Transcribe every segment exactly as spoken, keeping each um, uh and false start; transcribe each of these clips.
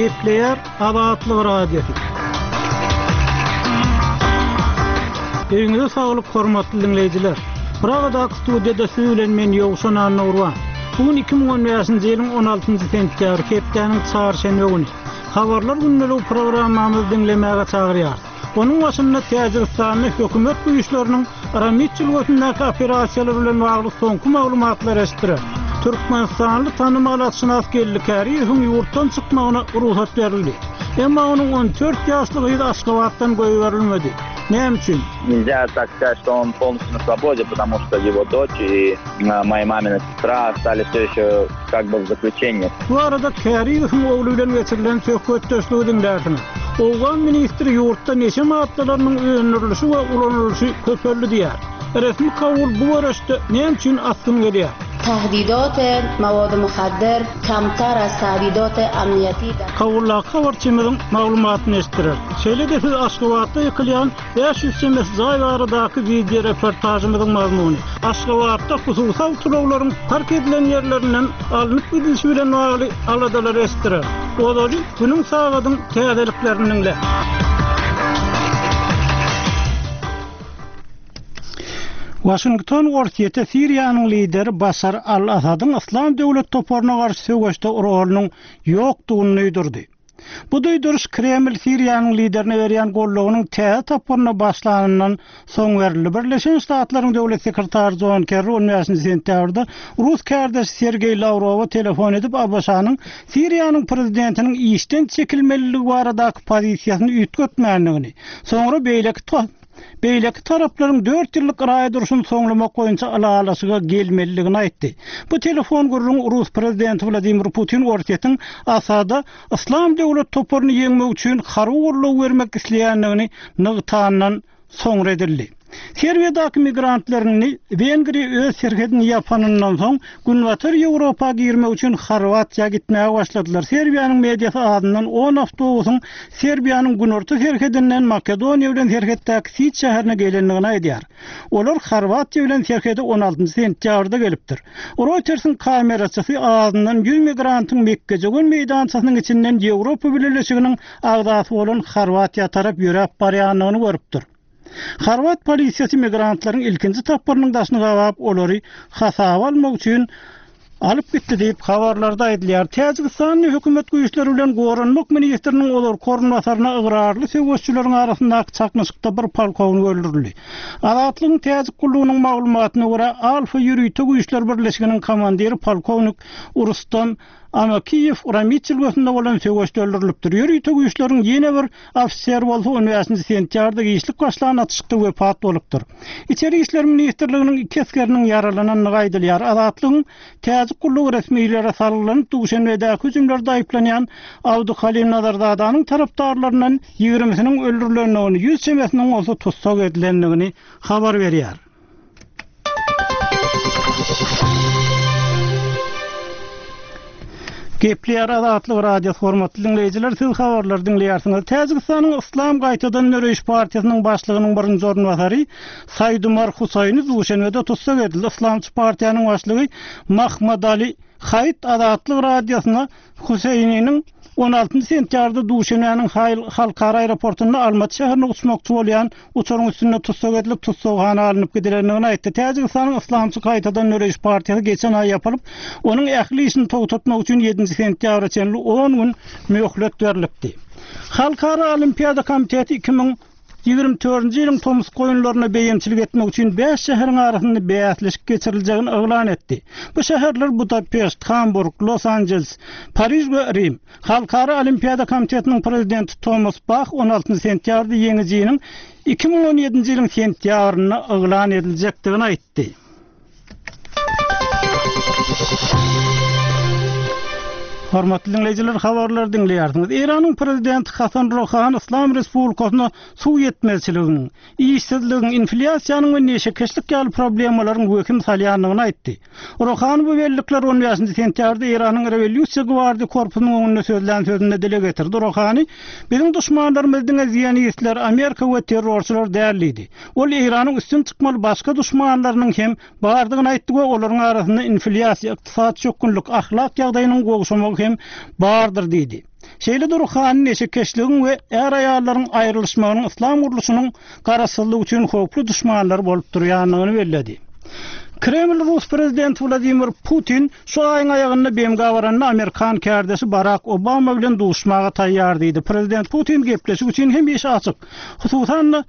Gepleýär Azatlyk Radiosy. Öýüňize saglyk hormatly dinleýjiler. Pragadaky studiýada siz bilen men Ýowşan Annagurban. Bu gün iki müň on bäşinji ýylyň on altynjy sentýabry, hepdäniň çarşenbe güni. Habarlar gündeligi programmamyzy diňlemäge çagyrýarys. Onuň başynda Täjigistanda hökümet güýçleriniň Ramit jülgesindäki operasiýalar bilen bagly soňky maglumatlar eşitdirer. Türkmenistanly tanymal atşynas Geldi Käriýewiň ýurtdan çykmagyna rugsat berildi. Emma onuň on dört ýaşly gyzy Aşgabatdan goýberilmedi. Näme üçin? Нельзя так сказать, что он полностью на свободе, потому что его дочь и моя мамина сестра остались все еще как бы в заключении. Bu arada Käriýewiň ogly bilen geçirilen söhbetdeşligi diňlärsiňiz. Owgan ministri ýurtda neşe maddalarynyň öndürilişi we ulanylyşy köpeldi diýär. Resmi Kabul bu görüşde näme üçin asgyn gelýär? Tahdidat mawad muhaddir kamtar az tahdidat amniyati Kabuldaky habarçymyzyň maglumatyny eşitdirer. Şeýle-de siz Aşgabatda ýykylýan bäş ýüz çemesi jaý baradaky video reportajymyzyň mazmuny. Aşgabatda hususy awtoulaglaryň park edilen ýerlerinden alnyp gidilişi bilen bagly aladalar eşitdirer. Ozaly günüň sagadyň täzeliklerini diňle. Washington Orsýete Siriýanyň lideri Başar al-Asadyň Yslam döwlet toparyna garşy söweşde rolunyň ýokdugyny duýdurdy. Bu duýduryş Kreml Siriýanyň liderine berýän gollugynyň täze tapgyryna başlanyndan soň berildi. Birleşen Ştatlaryň döwlet sekretary John Kerry on bäşinji sentýabrda Rus kärdeşi Sergeý Lawrowa telefon edip A B Ş-nyň Siriýanyň prezidentiniň işden çekilmeliligi baradaky pozisiýasyny üýtgetmändigini, soňra beýleki to-, beýleki taraplaryň dört ýyllyk raý durşuny soňlamak boýunça ylalaşyga gelmelidigini aýtdy. Bu telefon gürrüň Rus prezidenti Wladimir Putin Orsýetiň Asada Yslam döwlet toparyny ýeňmek üçin harby goldaw bermek isleýändigini nygtandan soňra edildi. Serbiýadaky migrantlaryny Wengriýa öz serhedini ýapanyndan soň Günbatar Ýewropa girmek üçin Horwatiýa gitmäge başladylar. Serbiýanyň mediasy adyndan on awtobusyň Serbiýanyň günorta serhedinden Makedoniýa bilen serhetdäki Siç şäherine gelendigini aýdýar. Olar Horwatiýa bilen serhede on altynjy sentýabrda gelipdir. Reuters'in kameraçysy adyndan ýüz migrantyň Mekgejegön meýdançasynyň içinden Ýewropa Bileleşiginiň agzasy bolan Horwatiýa tarap ýöräp barýandygyny görüpdir. Horwat polisiýasy migrantlaryň ilkinji tapgyrynyň daşyny gabap, olary hasaba almak üçin alyp gitdi diýip habarlarda aýdylýar. Täjigistanyň hökümet güýçleri bilen goranmak ministriniň olar korunbasaryna ygrarly söweşçileriň arasyndaky çaknyşykda bir polkownik öldürildi. Azatlygyň Täjik gullugynyň maglumatyna görä, Alfa ýörite güýçler birleşiginiň komandiri polkownik Rustam Amakiýew Ramit jülgesinde bolan söweşde öldürilipdir. Ýörite güýçleriň ýene bir ofiser bolsa on bäşinji sentýabrda giçlik başlan atyşykda wepat bolupdyr. Içeri işler ministrliginiň iki esgeriniň ýaralanandygy aýdylýar. Azatlygyň Täjik gullugy resmilere salgylanyp Duşenbedäki hüjümlerde aýyplanýan Abduhalim Nazarzadanyň tarapdarlaryndan ýigrimisiniň öldürilendigini, ýüz çemesiniň bolsa tussag edilendigini habar berýär. Gepleýär Azatlyk Radiosy hormatly dinleýjiler, siz habarlary diňleýärsiňiz. Täjigistanyň Yslam gaýtadan döreýiş partiýasynyň başlygynyň birinji orunbasary Saýdumar Husaýni Duşenbede tussag edildi. Yslamçy partiýanyň başlygy Mahmadali Haýt Azatlyk Radiosyna Huseýniniň on altynjy sentýabrda Duşenbäniň Haýl-, halkara aeroportunda Almaty şäherine uçmakçy bolýan uçaryň üstünde tussag edilip tussaghana alnyp gidilendigini aýtdy. Täjigistanyň Yslamçy gaýtadan döreýiş partiýasy geçen aý ýapylyp, onuň ähli işini togtatmak üçin ýedinji sentýabra çenli on gün möhlet berilipdi. Halkara Olimpiada komiteti iki müň ýigrimi dördünji ýylyň tomus goýunlaryna beýemçilik etmek üçin bäş şäheriň arasynda bäsleşik geçiriljegini yglan etdi. Bu şäherler Budapeşt, Hamburg, Los Angeles, Pariž we Rim. Halkara Olimpiada komitetiniň prezidenti Thomas Bach on altynjy sentýabrda ýeňijiniň iki müň on ýedinji ýylyň sentýabrynda yglan ediljekdigini aýtdy. Hormatly dinleýjiler, habarlary diňleýärsiňiz. Eýranyň prezidenti Hasan Rohani Yslam Respublikasyna suw ýetmezçiliginiň, işsizligiň, inflýasiýanyň we neşekeşlik ýaly problemalaryň wehim salýandygyny aýtdy. Rohani bu bellikler on bäşinji sentýabrda Eýranyň Rewolýusiýa gwardiýa korpusynyň öňünde sözlän sözünde dile getirdi. Rohani, biziň duşmanlarymyz diňe zionistler, Amerika we terrorçylar däl diýdi. Ol Eýranyň üstün çykmaly başga duşmanlarynyň hem bardygyny aýtdy we olaryň arasynda inflýasiýa, ykdysady çökgünlik, ahlak ýagdaýynyň gowşamagy hem bardyr diýdi. Şeýle-de Ruhani neşekeşligiň we är-aýallaryň aýrylyşmagynyň yslam gurluşynyň garaşsyzlygy üçin howply duşmanlar bolup durýandygyny belledi. Kreml Rus prezidenti Wladimir Putin şu aýyň aýagynda B M G baranda Amerikan kärdeşi Barak Obama bilen duşmaga taýýar diýdi. Prezident Putin gepleşik üçin hemişe açyk. Hususan-da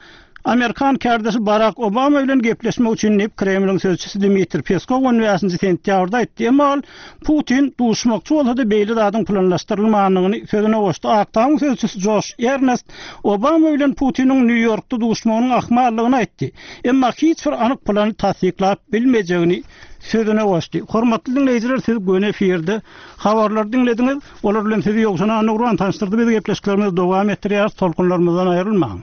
Amerikan kärdeşi Barak Obama bilen gepleşmek üçin diýip Kremliň sözçüsi Dmitri Peskow on bäşinji sentýabrda aýtdy. Emma ol Putin duşmakçy bolsa-da beýle zadyň planlaşdyrylmandygyny sözüne goşdy. Ak Tamyň sözçüsi Joş Ernest Obama bilen Putiniň Nýu-Ýorkda duşmagynyň ahmallygyny aýtdy. Emma hiç bir anyk plany tassyklap bilmejegini sözüne goşdy. Hormatly dinleýjiler, siz göni efirde habarlar diňlediňiz. Olar bilen sizi Ýowşan Annagurban tanyşdyrdy. Biz gepleşiklerimizi dowam etdirýäris. Tolkunlarymyzdan aýrylmaň.